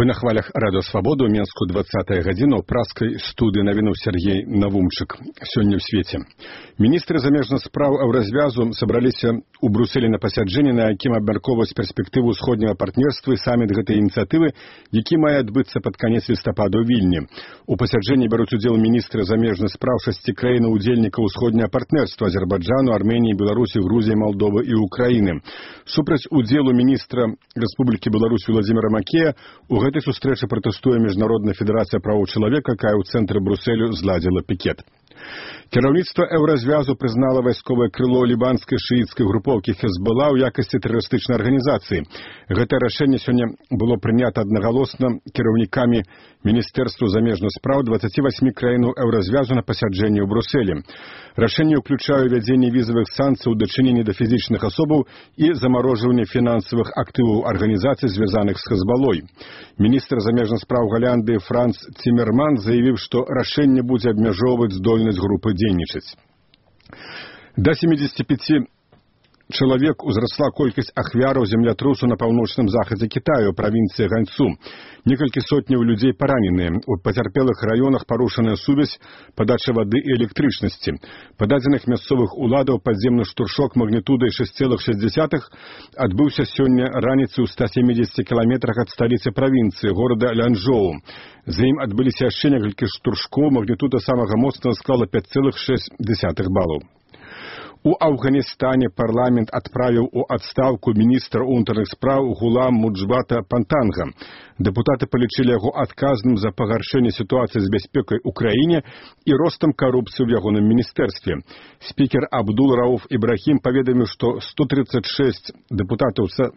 Вы на хвалях Радио Свободу, Менску 20 гадзіна ў праскай студыі навінуў Сергей Навумчык. Сёння ў свеце. Міністры замежных спраў Еўразвязу сабраліся ў Брюсселі на пасяджэнні, на якім абмяркоўваюць перспектыву ўсходняга партнерства і саміт гэтай ініцыятывы, які мае адбыцца пад канец лістапада ў Вільні. У пасяджэнні бяруць удзел міністры замежных спраў 6 краін-удзельнікаў усходняга партнерства: Азербайджану, Арменіі, Беларусі, Грузіі, Малдовы і Украіны. Супраць удзелу міністра Рэспублікі Беларусь Владзіміра Макея у гэтай сустрэчы пратэстуе Міжнародная федэрацыя правоў чалавека, якая ў цэнтры Брюсселю зладзіла пікет. Кіраўніцтва Еўразвязу прызнала вайсковае крыло лібанскай шыіцкай групоўкі Хезбалла ў якасці тэрарыстычнай арганізацыі. Гэтае рашэнне сёння было прынята аднагалосна кіраўнікамі Міністэрства замежных спраў 28 краінаў Еўразвязу на пасяджэнні ў Брюсселі. Рашэнне ўключае ўвядзенне візавых санкцый у дачыненні да фізічных асобаў і замарожванне фінансавых актываў арганізацый, звязаных з Хезбаллой. Міністр замежных спраў Галландыі Франц Цімерман заявіў, што рашэнне будзе абмяжоўваць здольнасць групы дзейнічаць. Да 75 чалавек узрасла колькасць ахвяраў землятрусу на паўночным захадзе Кітаю, правінцыі Ганьцу. Некалькі сотняў людзей параненыя. У пацярпелых раёнах парушаная сувязь, падача вады і электрычнасці. Па дадзеных мясцовых уладаў, падземны штуршок магнітудай 6,6 адбыўся сёння раніцай у 170 кіламетрах ад сталіцы правінцыі, горада Лянчжоу. За ім адбыліся яшчэ некалькі штуршкоў, магнітуда самага моцнага склала 5,6 балаў. У Афганістане парламент адправіў у адстаўку міністра ўнутраных спраў Гулам Муджбата Пантанга. Дэпутаты палічылі яго адказным за пагаршэнне сітуацыі з бяспекай у краіне і ростам карупцыі ў ягоным міністэрстве. Спікер Абдул-Рауф Ібрахім паведаміў, што 136 дэпутатаў са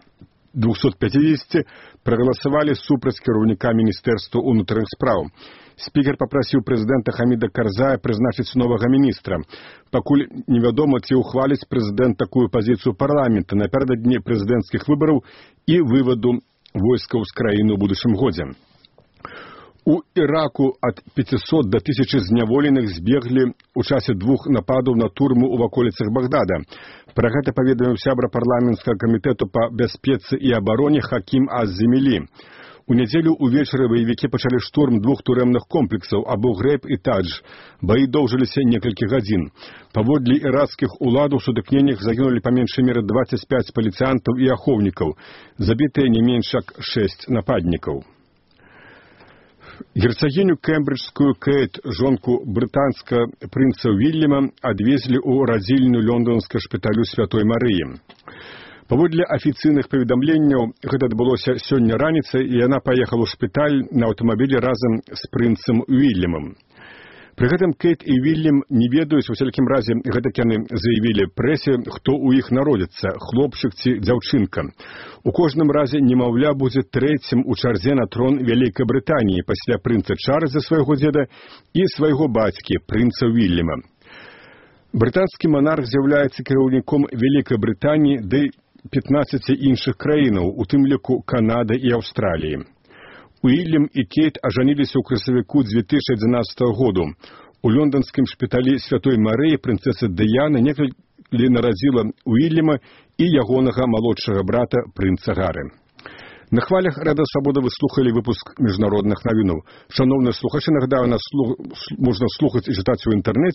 250 прагаласавалі супраць кіраўніка міністэрства ўнутраных спраў. Спікер папрасіў прэзідэнта Хаміда Карзая прызначыць новага міністра. Пакуль невядома, ці ўхваліць прэзідэнт такую пазіцыю парламента напярэдадні прэзідэнцкіх выбараў і вываду войскаў з краіны ў будучым годзе. У Іраку ад 500 да 1000 зняволеных збеглі ў часе 2 нападаў на турму ў ваколіцах Багдада. Пра гэта паведаміў сябра парламенцкага камітэту па бяспецы і абароне Хакім Аз-Земелі. У нядзелю ўвечары ваявікі пачалі штурм 2 турэмных комплексаў Абу-Грейб і Тадж. Баі доўжыліся некалькі гадзін. Паводле іракскіх уладаў у сутыкненнях загінулі па меншай меры 25 паліцыянтаў і ахоўнікаў. Забітыя не менш як 6 нападнікаў. Герцагіню кембриджскую Кейт, жонку брытанскага прынца Вільяма, адвезлі ў радзільню лондонскага шпіталю Святой Марыі. Паводле афіцыйных паведамленняў, гэта адбылося сёння раніцай, і яна паехала ў шпіталь на аўтамабілі разам з прынцам Вільямам. Пры гэтым Кейт і Вільям не ведаюць, у усялякім разе гэтак яны заявілі прэсе, хто ў іх народзіцца, хлопчык ці дзяўчынка. У кожным разе немаўля будзе трэцім у чарзе на трон Вялікай Брытаніі пасля прынца Чарльза, свайго дзеда, і свайго бацькі, прынца Вільяма. Брытанскі манарх з'яўляецца кіраўніком Вялікай Брытаніі ды 15 іншых краінаў, у тым ліку Канады і Аўстраліі. Уільям і Кейт ажаніліся ў красавіку 2011 году. У лонданскім шпіталі Святой Марыі прынцэса Дыяна некалі нарадзіла Уільяма і ягонага малодшага брата прынца Гары. На хвалях Радыё Свабода вы слухалі выпуск міжнародных навінаў. Шановныя слухачы, нагадаю, нас можна слухаць і чытаць у інтэрнэце